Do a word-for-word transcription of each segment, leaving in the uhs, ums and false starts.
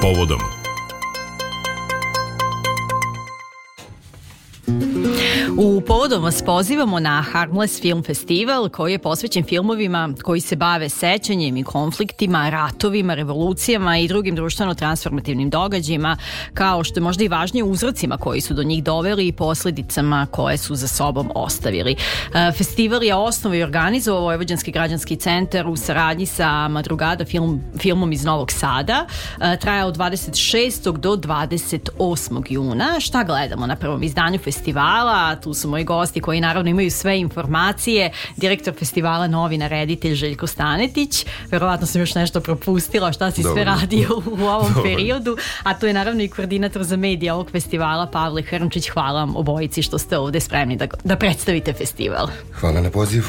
povodom. U Povodom vas pozivamo na Harmless Film Festival koji je posvećen filmovima koji se bave sećanjem i konfliktima, ratovima, revolucijama i drugim društveno-transformativnim događajima, kao što je možda i važnije uzrocima koji su do njih doveli i posljedicama koje su za sobom ostavili. Festival je osnovao i organizovao Vojvođanski građanski centar u saradnji sa Madrugada film, filmom iz Novog Sada. Traja od dvadeset šestog do dvadeset osmog juna. Šta gledamo na prvom izdanju festivala? Tu su moji gosti koji naravno imaju sve informacije. Direktor festivala, novinar, reditelj Željko Stanetić. Verovatno sam još nešto propustila šta si Dobar. sve radio u ovom Dobar. periodu. A to je naravno i koordinator za medije ovog festivala Pavle Hrnčić. Hvala vam obojici što ste ovde spremni da, da predstavite festival. Hvala na pozivu.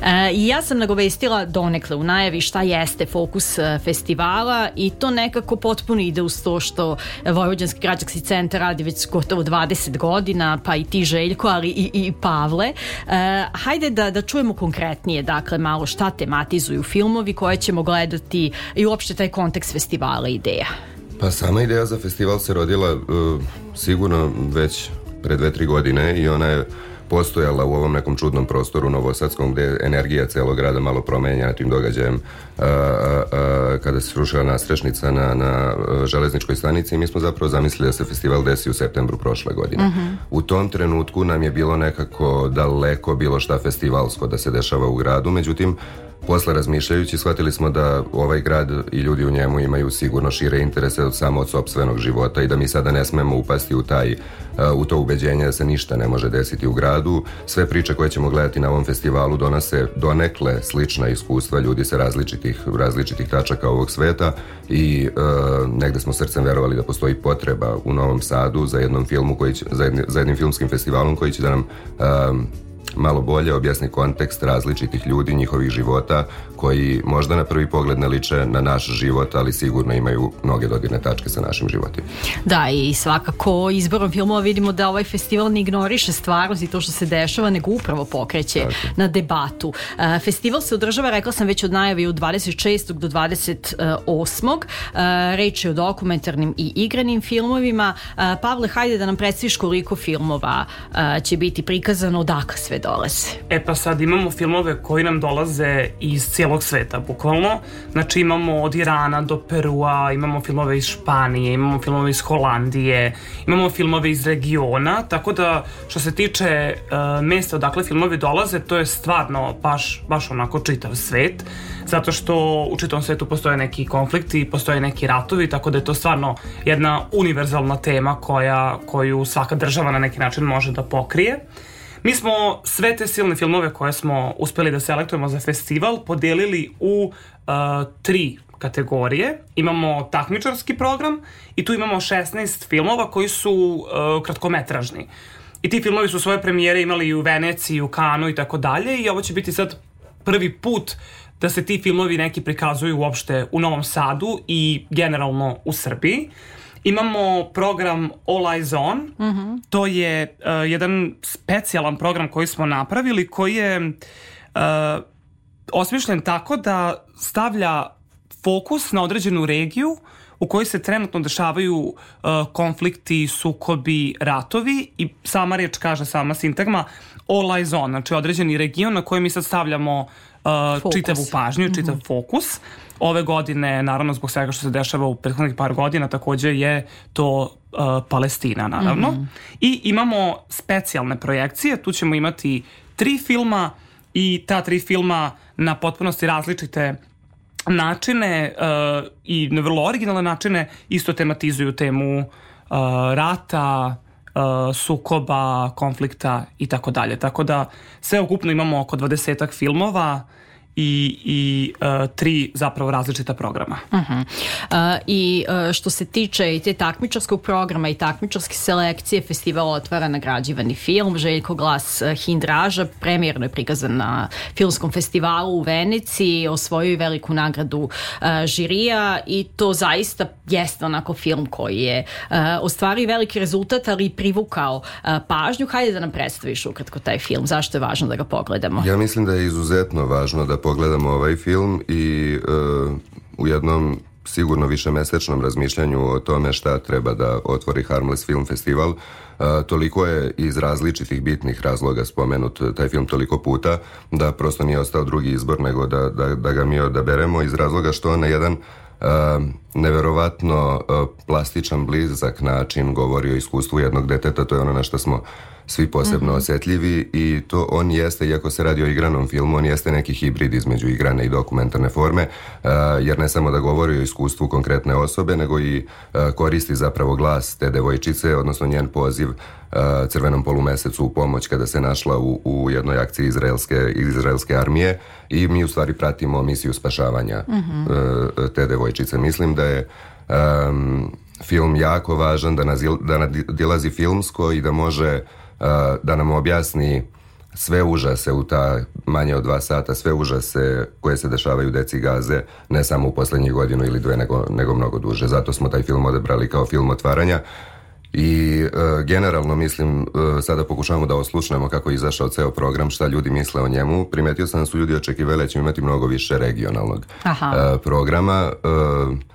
E, I ja sam nagovestila donekle u najavi šta jeste fokus festivala i to nekako potpuno ide uz to što Vojvođanski građanski centar radi već gotovo dvadeset godina, pa i ti Željko, ali i, i Pavle. E, hajde da, da čujemo konkretnije, dakle, malo šta tematizuju filmovi koje ćemo gledati i uopšte taj kontekst festivala i ideja. Pa sama ideja za festival se rodila uh, sigurno već pre dve, tri godine i ona je postojala u ovom nekom čudnom prostoru novosadskom gde je energija celog grada malo promenjena tim događajem a, a, a, kada se srušila nastrešnica na, na železničkoj stanici i mi smo zapravo zamislili da se festival desi u septembru prošle godine. Uh-huh. U tom trenutku nam je bilo nekako daleko bilo šta festivalsko da se dešava u gradu, međutim posle razmišljajući shvatili smo da ovaj grad i ljudi u njemu imaju sigurno šire interese od samo od sopstvenog života i da mi sada ne smemo upasti u taj u to ubeđenje da se ništa ne može desiti u gradu. Sve priče koje ćemo gledati na ovom festivalu donose donekle slična iskustva ljudi sa različitih, različitih tačaka ovog sveta i e, negde smo srcem verovali da postoji potreba u Novom Sadu za jednom filmu koji će, za, jedni, za jednim filmskim festivalom koji će da nam e, malo bolje objasni kontekst različitih ljudi, njihovih života, koji možda na prvi pogled ne liče na naš život, ali sigurno imaju mnoge dodirne tačke sa našim životima. Da, i svakako izborom filmova vidimo da ovaj festival ne ignoriše stvarnost i to što se dešava, nego upravo pokreće Tako. na debatu. Festival se održava, rekla sam već od najavi, od dvadeset šestog do dvadeset osmog Reč je o dokumentarnim i igranim filmovima. Pavle, hajde da nam predstaviš koliko filmova će biti prikazano, odakle sve dolaze. E pa sad imamo filmove koji nam dolaze iz cijelog sveta, bukvalno. Znači imamo od Irana do Perua, imamo filmove iz Španije, imamo filmove iz Holandije, imamo filmove iz regiona, tako da što se tiče uh, mesta odakle filmovi dolaze, to je stvarno baš, baš onako čitav svet, zato što u čitavom svetu postoje neki konflikti, postoje neki ratovi, tako da je to stvarno jedna univerzalna tema koja, koju svaka država na neki način može da pokrije. Mi smo sve te silne filmove koje smo uspeli da selektujemo za festival podelili u uh, tri kategorije. Imamo takmičarski program i tu imamo šesnaest filmova koji su uh, kratkometražni. I ti filmovi su svoje premijere imali i u Veneciji, u Kanu i tako dalje i ovo će biti sad prvi put da se ti filmovi neki prikazuju uopšte u Novom Sadu i generalno u Srbiji. Imamo program All Eyes On, uh-huh. to je uh, jedan specijalan program koji smo napravili, koji je uh, osmišljen tako da stavlja fokus na određenu regiju u kojoj se trenutno dešavaju uh, konflikti, sukobi, ratovi i sama reč kaže, sama sintagma All Eyes On, znači određeni region na koji mi sad stavljamo uh, čitavu pažnju, čitav uh-huh. fokus. Ove godine, naravno zbog svega što se dešava u prethodnih par godina, također je to uh, Palestina, naravno. Mm-hmm. I imamo specijalne projekcije, tu ćemo imati tri filma i ta tri filma na potpunosti različite načine uh, i na vrlo originalne načine isto tematizuju temu uh, rata, uh, sukoba, konflikta i tako dalje. Tako da sve ukupno imamo oko dvadesetak filmova i, i uh, tri zapravo različita programa. Uh-huh. Uh, I uh, što se tiče i te takmičarskog programa i takmičarske selekcije, festival otvara nagrađivani film Željko Glas Hindraža, premijerno je prikazan na filmskom festivalu u Veneciji, osvojio veliku nagradu uh, žirija i to zaista jeste onako film koji je uh, ostvario veliki rezultat, ali i privukao uh, pažnju. Hajde da nam predstaviš ukratko taj film, zašto je važno da ga pogledamo? Ja mislim da je izuzetno važno da pogledamo ovaj film i uh, u jednom sigurno višemesečnom razmišljanju o tome šta treba da otvori Harmless Film Festival. Uh, toliko je iz različitih bitnih razloga spomenut taj film toliko puta da prosto nije ostao drugi izbor nego da, da, da ga mi odaberemo iz razloga što on na jedan Uh, neverovatno uh, plastičan, blizak način govori o iskustvu jednog deteta. To je ono na što smo svi posebno mm-hmm. osjetljivi i to on jeste, iako se radi o igranom filmu, on jeste neki hibrid između igrane i dokumentarne forme, uh, jer ne samo da govori o iskustvu konkretne osobe, nego i uh, koristi zapravo glas te devojčice, odnosno njen poziv uh, crvenom polumesecu u pomoć kada se našla u, u jednoj akciji izraelske, izraelske armije i mi u stvari pratimo misiju spašavanja mm-hmm. uh, te devojčice. Mislim da je um, film jako važan, da, nazil, da nadilazi filmsko i da može uh, da nam objasni sve užase u ta manje od dva sata, sve užase koje se dešavaju deci Gaze, ne samo u poslednjih godinu ili dve, nego, nego mnogo duže. Zato smo taj film odebrali kao film otvaranja. I e, generalno mislim, e, sada pokušavamo da oslušnemo kako je izašao ceo program, šta ljudi misle o njemu. Primetio sam da su ljudi očekivali da ćemo imati mnogo više regionalnog e, programa. E,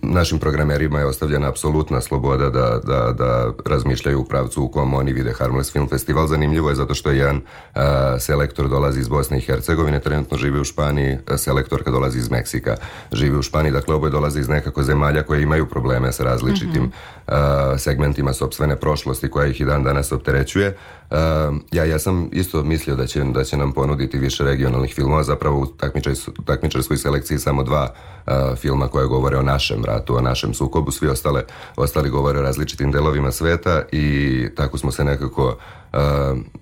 Našim programerima je ostavljena apsolutna sloboda da, da, da razmišljaju u pravcu u kom oni vide Harmless Film Festival. Zanimljivo je zato što jedan uh, selektor dolazi iz Bosne i Hercegovine, trenutno živi u Španiji, selektorka dolazi iz Meksika, živi u Španiji, dakle oboje dolaze iz nekako zemalja koje imaju probleme sa različitim mm-hmm. uh, segmentima sopstvene prošlosti koja ih i dan danas opterećuje. Uh, ja, ja sam isto mislio da će, da će nam ponuditi više regionalnih filmova, zapravo u takmičarskoj selekciji samo dva uh, filma koje govore o našem ratu, o našem sukobu, svi ostale, ostali govore o različitim delovima sveta i tako smo se nekako uh,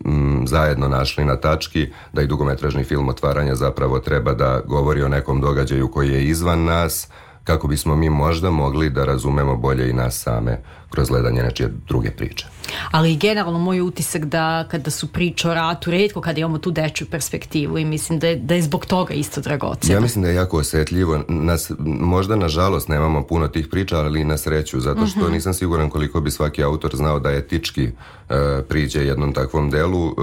m, zajedno našli na tački da i dugometražni film otvaranja zapravo treba da govori o nekom događaju koji je izvan nas, kako bismo mi možda mogli da razumemo bolje i nas same kroz gledanje nečije druge priče. Ali generalno moj utisak da kada su priče o ratu, retko kada imamo tu dečju perspektivu i mislim da je, da je zbog toga isto dragoceno. Ja mislim da je jako osjetljivo. Nas, možda nažalost nemamo puno tih priča, ali na sreću, zato što uh-huh. nisam siguran koliko bi svaki autor znao da etički uh, priđe jednom takvom delu. Uh,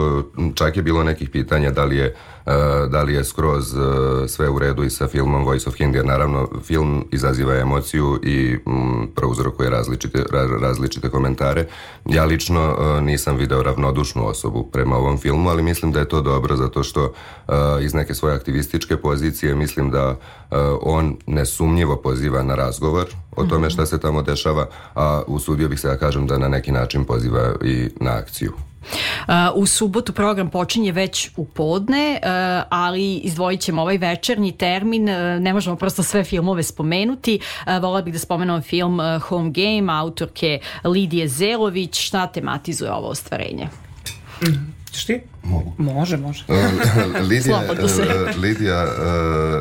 čak je bilo nekih pitanja da li je, uh, da li je skroz uh, sve u redu i sa filmom Voice of Hindi, jer naravno film izaziva emociju i um, prouzrokuje različite, ra, različite komentare. Ja lično uh, nisam video ravnodušnu osobu prema ovom filmu, ali mislim da je to dobro zato što uh, iz neke svoje aktivističke pozicije mislim da uh, on nesumnjivo poziva na razgovor o tome šta se tamo dešava, a usudio bih se da kažem da na neki način poziva i na akciju. Uh, u subotu program počinje već u podne, uh, ali izdvojit ćemo ovaj večernji termin, uh, ne možemo prosto sve filmove spomenuti. Uh, Volila bih da spomenem film uh, Home Game, autorke Lidije Zelović. Šta tematizuje ovo ostvarenje? Mm. Šti? Mogu. Može, može. Lidija, Lidija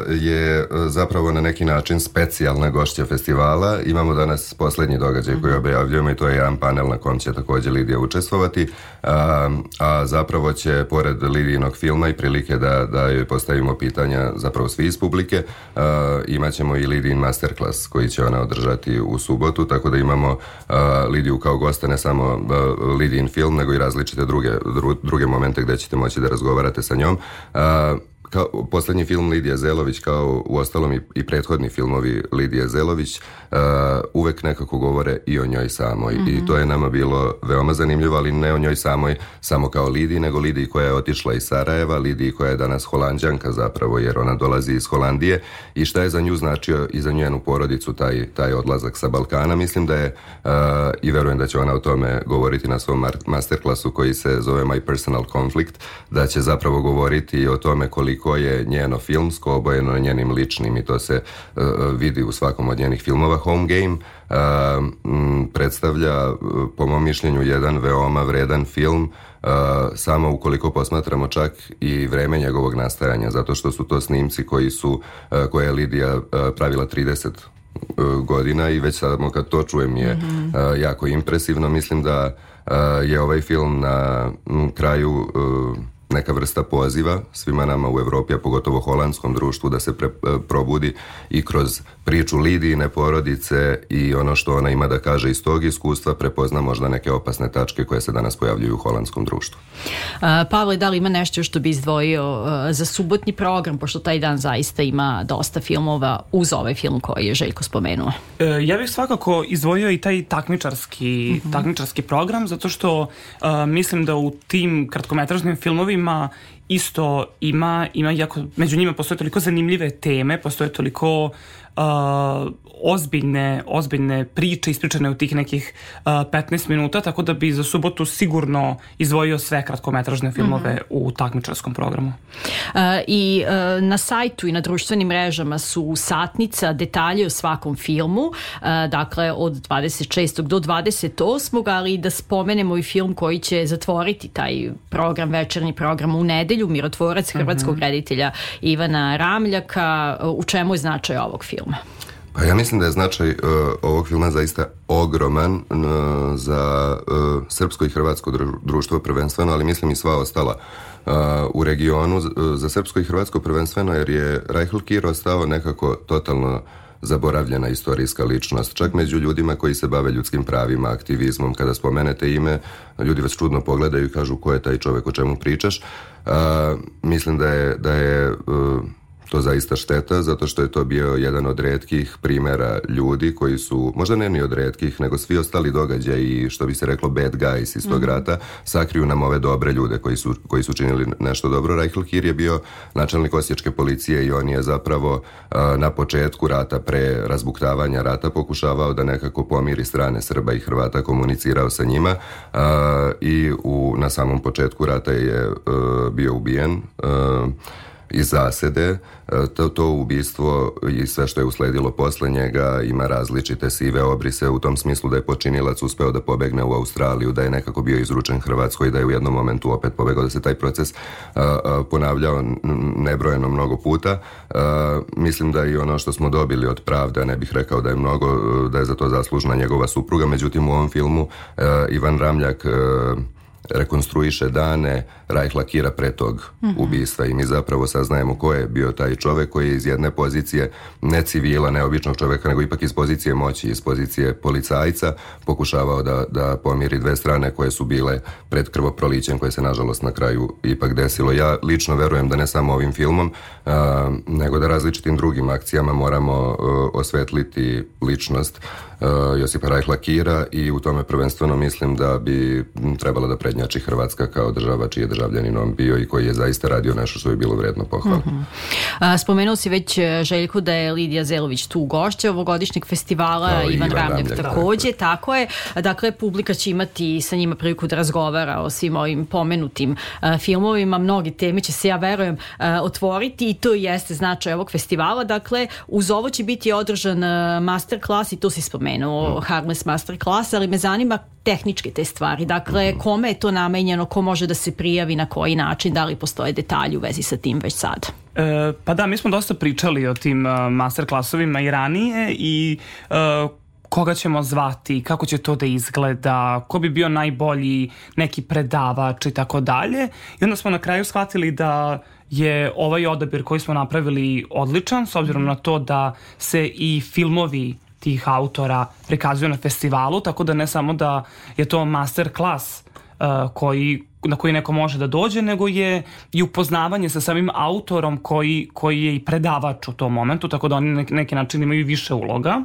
je zapravo na neki način specijalna gošća festivala. Imamo danas poslednji događaj koji objavljujemo i to je jedan panel na kom će također Lidija učestvovati. A, a zapravo će, pored Lidijinog filma i prilike da, da joj postavimo pitanja zapravo svi iz publike, a, imat ćemo i Lidijin masterclass koji će ona održati u subotu, tako da imamo a, Lidiju kao gosta, ne samo a, Lidijin film, nego i različite druge, dru, druge momente gde ćete moći da razgovarate sa njom. A, kao poslednji film Lidije Zelović, kao u ostalom i, i prethodni filmovi Lidije Zelović, uh, uvek nekako govore i o njoj samoj. Mm-hmm. I to je nama bilo veoma zanimljivo, ali ne o njoj samoj samo kao Lidiji, nego Lidiji koja je otišla iz Sarajeva, Lidiji koja je danas Holanđanka zapravo, jer ona dolazi iz Holandije i šta je za nju značio i za njenu porodicu taj, taj odlazak sa Balkana. Mislim da je, uh, i verujem da će ona o tome govoriti na svom masterclassu koji se zove My Personal Conflict, da će zapravo govoriti o tome koliko ko je njeno filmsko obojeno njenim ličnim i to se uh, vidi u svakom od njenih filmova. Home Game uh, m, predstavlja uh, po mom mišljenju jedan veoma vredan film, uh, samo ukoliko posmatramo čak i vreme njegovog nastajanja, zato što su to snimci koji su, uh, koje je Lidija uh, pravila trideset godina i već samo kad to čujem je mm-hmm. uh, jako impresivno. Mislim da uh, je ovaj film na m, kraju uh, neka vrsta poziva svima nama u Evropi, a pogotovo holandskom društvu, da se pre, probudi i kroz priču Lidijine porodice i ono što ona ima da kaže iz tog iskustva prepozna možda neke opasne tačke koje se danas pojavljuju u holandskom društvu. A, Pavle, da li ima nešto što bi izdvojio a, za subotnji program, pošto taj dan zaista ima dosta filmova uz ovaj film koji je Željko spomenuo? E, ja bih svakako izdvojio i taj takmičarski, mm-hmm. takmičarski program, zato što a, mislim da u tim kratkometražnim filmovima isto ima, ima jako, među njima postoje toliko zanimljive teme, postoje toliko uh, ozbiljne, ozbiljne priče ispričane u tih nekih uh, petnaest minuta, tako da bi za subotu sigurno izdvojio sve kratkometražne filmove mm-hmm. u takmičarskom programu. Uh, I uh, na sajtu i na društvenim mrežama su satnica, detalji o svakom filmu, uh, dakle od dvadeset šestog do dvadeset osmog ali da spomenemo i film koji će zatvoriti taj program, večernji program u nedelju, Mirotvorac hrvatskog mm-hmm. reditelja Ivana Ramljaka. U čemu je značaj ovog filma? Pa ja mislim da je značaj uh, ovog filma zaista ogroman uh, za uh, srpsko i hrvatsko društvo prvenstveno, ali mislim i sva ostala uh, u regionu. Uh, za srpsko i hrvatsko prvenstveno jer je Rajhl Kir ostao nekako totalno zaboravljena istorijska ličnost. Čak među ljudima koji se bave ljudskim pravima, aktivizmom, kada spomenete ime, ljudi vas čudno pogledaju i kažu ko je taj čovjek, o čemu pričaš. Uh, mislim da je, da je uh, to zaista šteta, zato što je to bio jedan od retkih primjera ljudi koji su, možda ne ni od retkih, nego svi ostali događaji, što bi se reklo bad guys iz tog mm-hmm. rata, sakriju nam ove dobre ljude koji su, koji su činili nešto dobro. Rajhl Kir je bio načelnik osječke policije i on je zapravo uh, na početku rata, pre razbuktavanja rata, pokušavao da nekako pomiri strane Srba i Hrvata, komunicirao sa njima uh, i u, na samom početku rata je uh, bio ubijen uh, iz zasede. To, to ubistvo i sve što je usledilo posle njega ima različite sive obrise u tom smislu da je počinilac uspeo da pobegne u Australiju, da je nekako bio izručen Hrvatskoj i da je u jednom momentu opet pobegao, da se taj proces a, a, ponavljao nebrojeno mnogo puta. A, mislim da i ono što smo dobili od pravde, ne bih rekao da je mnogo, da je za to zaslužna njegova supruga, međutim u ovom filmu a, Ivan Ramljak a, rekonstruiše dane Rajhla Kira pre tog mm-hmm. ubistva i mi zapravo saznajemo ko je bio taj čovek koji je iz jedne pozicije ne civila, ne običnog čoveka, nego ipak iz pozicije moći, iz pozicije policajca pokušavao da, da pomiri dve strane koje su bile pred krvoprolićem, koje se nažalost na kraju ipak desilo. Ja lično verujem da ne samo ovim filmom, uh, nego da različitim drugim akcijama moramo uh, osvetliti ličnost uh, Josipa Rajhla Kira i u tome prvenstveno mislim da bi trebala da prednjači Hrvatska kao država čiji je državljanin on bio i koji je zaista radio nešto što je bilo vredno pohvale. Mm-hmm. A, spomenuo si već, Željko, da je Lidija Zelović tu gošća ovogodišnjeg festivala, no, Ivan, Ivan Ramljak takođe, tako, tako je. Dakle, publika će imati sa njima priliku da razgovara o svim ovim pomenutim a, filmovima. Mnogi teme će se, ja verujem, a, otvoriti i to jeste značaj ovog festivala. Dakle, uz ovo će biti održan a, masterclass i to si spomenuo, mm. Harmless masterclass, ali me zanima tehničke te stvari. Dakle, mm. kome je to namenjeno, ko može da se prijavi, na koji način, da li postoje detalji u vezi sa tim već sad? E, pa da, mi smo dosta pričali o tim uh, masterclasovima i ranije i uh, koga ćemo zvati, kako će to da izgleda, ko bi bio najbolji neki predavač i tako dalje. I onda smo na kraju shvatili da je ovaj odabir koji smo napravili odličan, s obzirom na to da se i filmovi tih autora prikazuju na festivalu, tako da ne samo da je to master class uh, koji, na koji neko može da dođe, nego je i upoznavanje sa samim autorom koji, koji je i predavač u tom momentu, tako da oni na neki način imaju više uloga.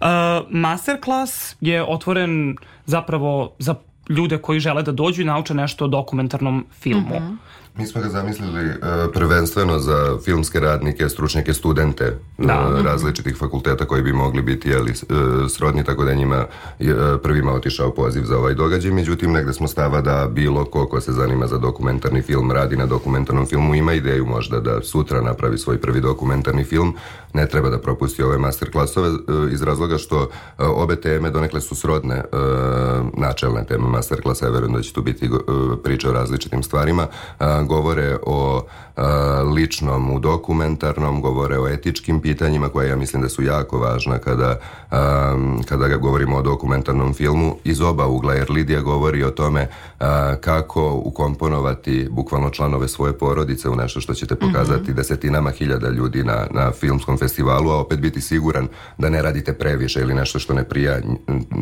Uh, masterclass je otvoren zapravo za ljude koji žele da dođu i nauče nešto o dokumentarnom filmu. Mm-hmm. Mi smo ga zamislili uh, prvenstveno za filmske radnike, stručnjake, studente da. uh, različitih fakulteta koji bi mogli biti jeli, uh, srodni, tako da njima uh, prvima otišao poziv za ovaj događaj. Međutim, negde smo stava da bilo ko ko se zanima za dokumentarni film, radi na dokumentarnom filmu, ima ideju možda da sutra napravi svoj prvi dokumentarni film, ne treba da propusti ove masterclassove uh, iz razloga što uh, obe teme donekle su srodne, uh, načelne teme masterclassa, ja verujem da će tu biti uh, priča o različitim stvarima. Uh, a, govore o a, ličnom u dokumentarnom, govore o etičkim pitanjima koja ja mislim da su jako važna kada, a, kada govorimo o dokumentarnom filmu iz oba ugla, jer Lidija govori o tome a, kako ukomponovati bukvalno članove svoje porodice u nešto što ćete pokazati mm-hmm. desetinama hiljada ljudi na, na filmskom festivalu, a opet biti siguran da ne radite previše ili nešto što ne prija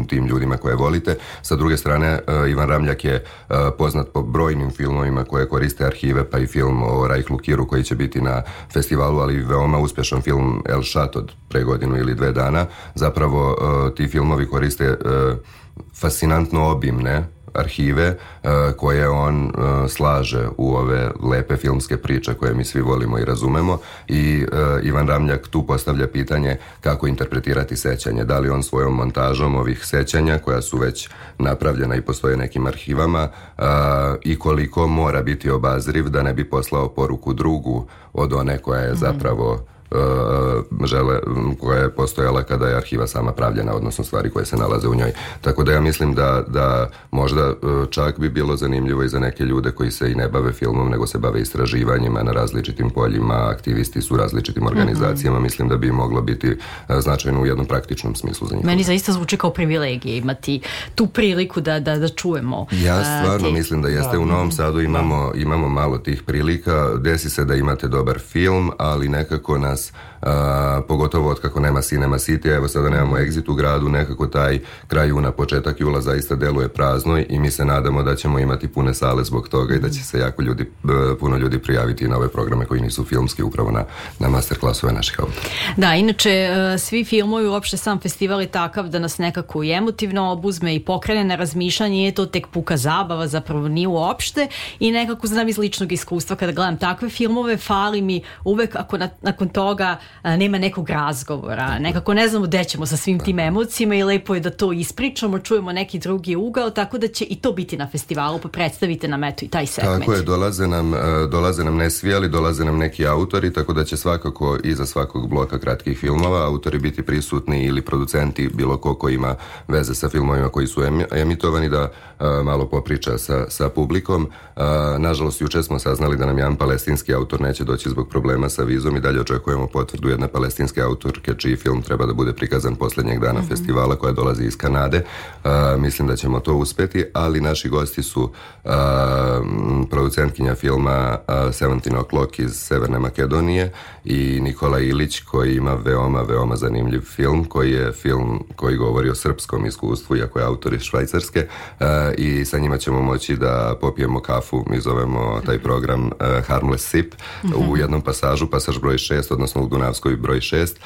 tim ljudima koje volite. Sa druge strane, Ivan Ramljak je poznat po brojnim filmovima koje koriste arhive, pa i film o Rajh Lukiru koji će biti na festivalu, ali veoma uspješan film El Šat od pre godinu ili dve dana. Zapravo ti filmovi koriste fascinantno obimne arhive uh, koje on uh, slaže u ove lepe filmske priče koje mi svi volimo i razumemo i uh, Ivan Ramljak tu postavlja pitanje kako interpretirati sećanje, da li on svojom montažom ovih sećanja koja su već napravljena i postoje nekim arhivama uh, i koliko mora biti obazriv da ne bi poslao poruku drugu od one koja je zapravo Uh, žele, koja je postojala kada je arhiva sama pravljena, odnosno stvari koje se nalaze u njoj. Tako da ja mislim da, da možda uh, čak bi bilo zanimljivo i za neke ljude koji se i ne bave filmom, nego se bave istraživanjima na različitim poljima, aktivisti su u različitim organizacijama, mm-hmm. mislim da bi moglo biti uh, značajno u jednom praktičnom smislu za njih. Meni zaista zvuči kao privilegije imati tu priliku da, da, da čujemo. Ja stvarno uh, te... mislim da jeste. U Novom Sadu imamo, imamo malo tih prilika, desi se da imate dobar film, ali nekako nas Uh, pogotovo od kako nema Cinema City, evo sada nemamo Exit u gradu, nekako taj kraj juna, početak jula zaista deluje prazno i mi se nadamo da ćemo imati pune sale zbog toga i da će se jako ljudi, puno ljudi prijaviti na ove programe koji nisu filmski upravo na, na masterclassove naših autora. Da, inače svi filmovi, uopšte sam festival je takav da nas nekako i emotivno obuzme i pokrene na razmišljanje, je to tek puka zabava, zapravo nije uopšte i nekako znam iz ličnog iskustva kada gledam takve filmove, fali mi uvek ako na, nakon toga a, nema nekog razgovora, nekako ne znamo gde ćemo sa svim tim emocijama i lepo je da to ispričamo, čujemo neki drugi ugao, tako da će i to biti na festivalu, pa predstavite nam eto i taj segment. Tako je, dolaze nam, dolaze nam ne svi, ali dolaze nam neki autori, tako da će svakako iza svakog bloka kratkih filmova autori biti prisutni ili producenti, bilo ko ko ima veze sa filmovima koji su emitovani, da a, malo popriča sa, sa publikom. A, nažalost, juče smo saznali da nam jedan palestinski autor neće doći zbog problema sa vizom i dalje očekujemo potvrdu jedne palestinske autorke čiji film treba da bude prikazan posljednjeg dana mm-hmm. festivala, koja dolazi iz Kanade. Uh, mislim da ćemo to uspeti, ali naši gosti su uh, producentkinja filma uh, Seventeen O'Clock iz Severne Makedonije i Nikola Ilić koji ima veoma, veoma zanimljiv film, koji je film koji govori o srpskom iskustvu, iako je autor iz Švajcarske, uh, i sa njima ćemo moći da popijemo kafu, mi zovemo taj program uh, Harmless Sip, mm-hmm. u jednom pasažu, pasaž broj šest, odnosno u Dunavskoj broj šest,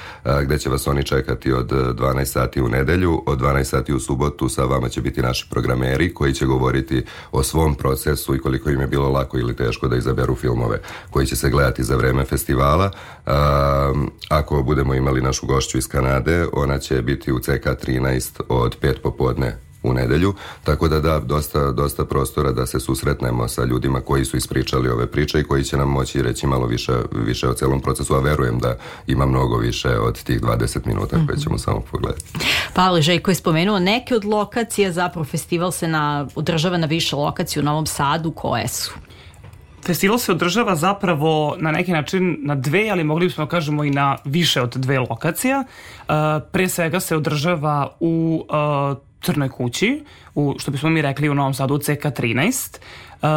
gde će vas oni čekati od dvanaest sati u nedelju, od dvanaest sati u subotu sa vama će biti naši programeri koji će govoriti o svom procesu i koliko im je bilo lako ili teško da izaberu filmove koji će se gledati za vreme festivala. Ako budemo imali našu gošću iz Kanade, ona će biti u C K trinaest od pet popodne u nedelju, tako da da, dosta, dosta prostora da se susretnemo sa ljudima koji su ispričali ove priče i koji će nam moći reći malo više, više o celom procesu, a verujem da ima mnogo više od tih dvadeset minuta koje ćemo samo pogledati. Pavle Željko je spomenuo neke od lokacija, zapravo festival se na, održava na više lokacija u Novom Sadu, koje su? Festival se održava zapravo na neki način na dve, ali mogli bismo kažemo i na više od dve lokacija. Uh, pre svega se održava u uh, Crnoj kući, u, što bismo mi rekli u Novom Sadu, u C K trinaest. Uh,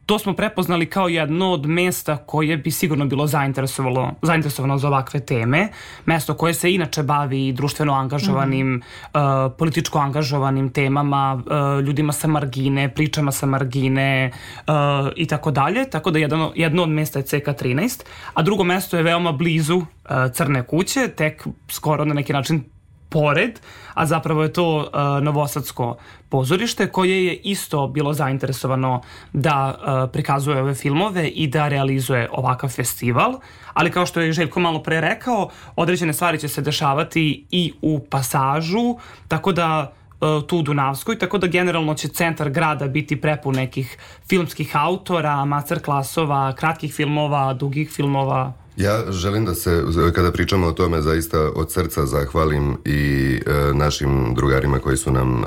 to smo prepoznali kao jedno od mesta koje bi sigurno bilo zainteresovalo, zainteresovano za ovakve teme. Mesto koje se inače bavi društveno angažovanim, mm-hmm. uh, političko angažovanim temama, uh, ljudima sa margine, pričama sa margine uh, i tako dalje. Tako da jedno, jedno od mesta je C K trinaest, a drugo mesto je veoma blizu uh, Crne kuće, tek skoro na neki način pored, a zapravo je to uh, Novosadsko pozorište koje je isto bilo zainteresovano da uh, prikazuje ove filmove i da realizuje ovakav festival, ali kao što je Željko malo pre rekao, određene stvari će se dešavati i u pasažu, tako da uh, tu u Dunavskoj, tako da generalno će centar grada biti prepun nekih filmskih autora, masterclassova, kratkih filmova, dugih filmova Ja želim da se, kada pričamo o tome, zaista od srca zahvalim i e, našim drugarima koji su nam e,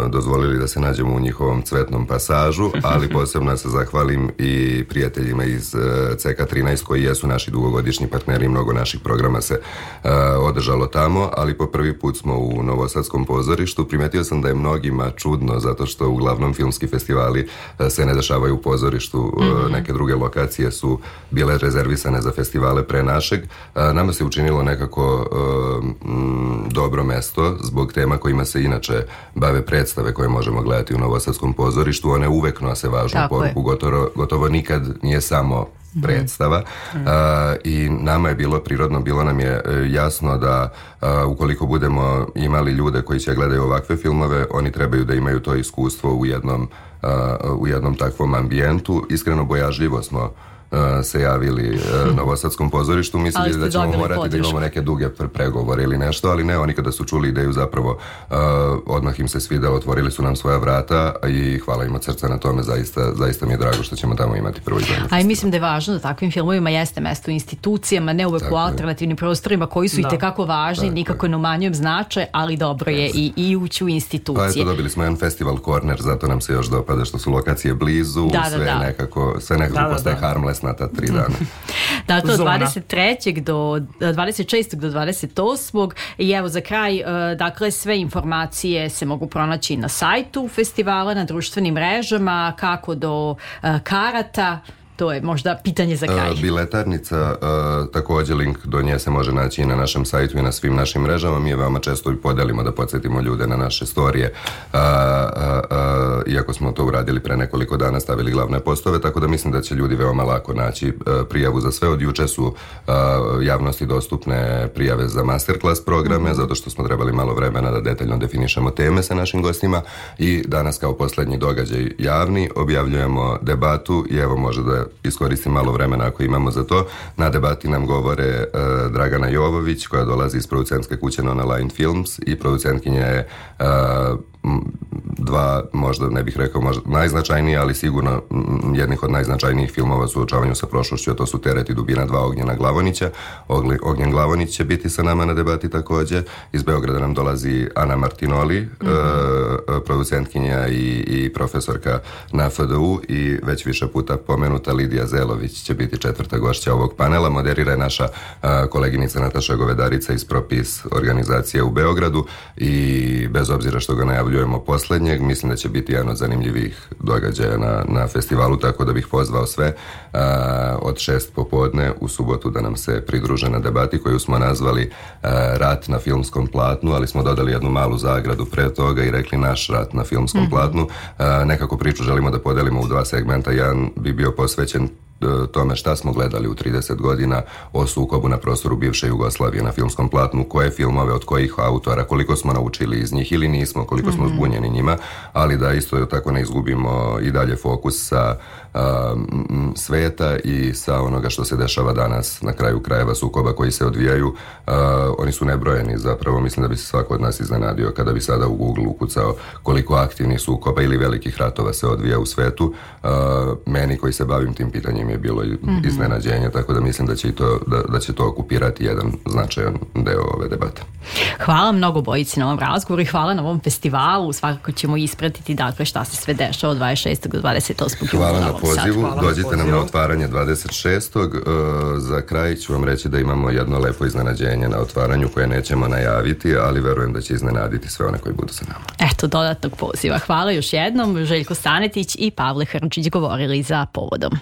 dozvolili da se nađemo u njihovom cvetnom pasažu, ali posebno se zahvalim i prijateljima iz e, C K trinaest koji jesu naši dugogodišnji partneri, mnogo naših programa se e, održalo tamo, ali po prvi put smo u Novosadskom pozorištu. Primetio sam da je mnogima čudno, zato što uglavnom filmski festivali e, se ne dešavaju u pozorištu, e, neke druge lokacije su bile rezervisane za festivale pre našeg. Nama se učinilo nekako um, dobro mesto zbog tema kojima se inače bave predstave koje možemo gledati u Novosadskom pozorištu. One uvek nose važnu Tako poruku, gotovo, gotovo nikad nije samo predstava. Mm. Uh, i nama je bilo prirodno, bilo nam je jasno da uh, ukoliko budemo imali ljude koji će gledaju ovakve filmove, oni trebaju da imaju to iskustvo u jednom, uh, u jednom takvom ambijentu. Iskreno bojažljivo smo se javili uh, Novosadskom pozorištu, mislili da ćemo morati podršku. Da imamo neke duge pregovore ili nešto, ali ne, oni kada su čuli ideju zapravo uh, odmah im se svidelo, otvorili su nam svoja vrata i hvala im od srca na tome, zaista, zaista mi je drago što ćemo tamo imati prvo izdanje. A i mislim da je važno da takvim filmovima jeste mesto u institucijama, ne uvek u alternativnim prostorima koji su da. i tekako važni, nikako ne umanjujem značaj, ali dobro je i, i ući u institucije. Pa eto, dobili smo jedan festival corner, zato nam se još dopada što su lokacije blizu, da, sve, da, da. Nekako, sve nekako da, postaje da, harmless na ta tri dana. Dakle, od dvadeset trećeg do dvadeset šestog do dvadeset osmog i evo za kraj, dakle, sve informacije se mogu pronaći na sajtu festivala, na društvenim mrežama, kako do karata. To je možda pitanje za kraj. Biletarnica, također link do nje se može naći i na našem sajtu i na svim našim mrežama. Mi je veoma često i podelimo da podsjetimo ljude na naše storije, iako smo to uradili pre nekoliko dana, stavili glavne postove, tako da mislim da će ljudi veoma lako naći prijavu za sve. Od juče su javnosti dostupne prijave za masterclass programe, zato što smo trebali malo vremena da detaljno definišemo teme sa našim gostima i danas kao poslednji događaj javni objavljujemo debatu i evo može da iskoristim malo vremena ako imamo za to. Na debati nam govore uh, Dragana Jovović, koja dolazi iz producentske kuće Nonaline Films i producentkinja je uh, dva, možda ne bih rekao možda najznačajniji, ali sigurno jednih od najznačajnijih filmova u suočavanju sa prošlošću, a to su Teret i dubina dva Ognjena Glavonića. Ognjen Glavonić će biti sa nama na debati također. Iz Beograda nam dolazi Ana Martinoli, mm-hmm. uh, producentkinja i, i profesorka na F D U i već više puta pomenuta Lidija Zelović će biti četvrta gošća ovog panela. Moderira je naša uh, koleginica Nataša Govedarica iz Propis organizacije u Beogradu i bez obzira što ga najavljujemo posljednjeg, mislim da će biti jedan od zanimljivih događaja na, na festivalu, tako da bih pozvao sve uh, od šest popodne u subotu da nam se pridruže na debati koju smo nazvali uh, Rat na filmskom platnu, ali smo dodali jednu malu zagradu pre toga i rekli naš rat na filmskom mm-hmm. platnu. Uh, nekako priču želimo da podelimo u dva segmenta. Jedan bi bio posvećen tome šta smo gledali u trideset godina o sukobu na prostoru bivše Jugoslavije na filmskom platnu, koje filmove, od kojih autora, koliko smo naučili iz njih ili nismo, koliko smo zbunjeni njima, ali da isto tako ne izgubimo i dalje fokus sa um, sveta i sa onoga što se dešava danas na kraju krajeva sukoba koji se odvijaju. Uh, oni su nebrojeni, zapravo mislim da bi se svako od nas iznenadio kada bi sada u Google ukucao koliko aktivnih sukoba ili velikih ratova se odvija u svetu. Uh, meni koji se bavim tim pitanjem je bilo mm-hmm. iznenađenje, tako da mislim da će, i to, da, da će to okupirati jedan značajan deo ove debate. Hvala mnogo bojici na ovom razgovoru i hvala na ovom festivalu. Svakako ćemo ispratiti dakle šta se sve dešava od dvadeset šestog do dvadeset osmog Hvala na pozivu. Hvala Dođite na nam na otvaranje dvadeset šestog Uh, za kraj ću vam reći da imamo jedno lepo iznenađenje na otvaranju koje nećemo najaviti, ali verujem da će iznenaditi sve one koji budu sa nama. Eto, dodatnog poziva. Hvala još jednom. Željko Stanetić i Pavle Hrnčić govorili za Povodom.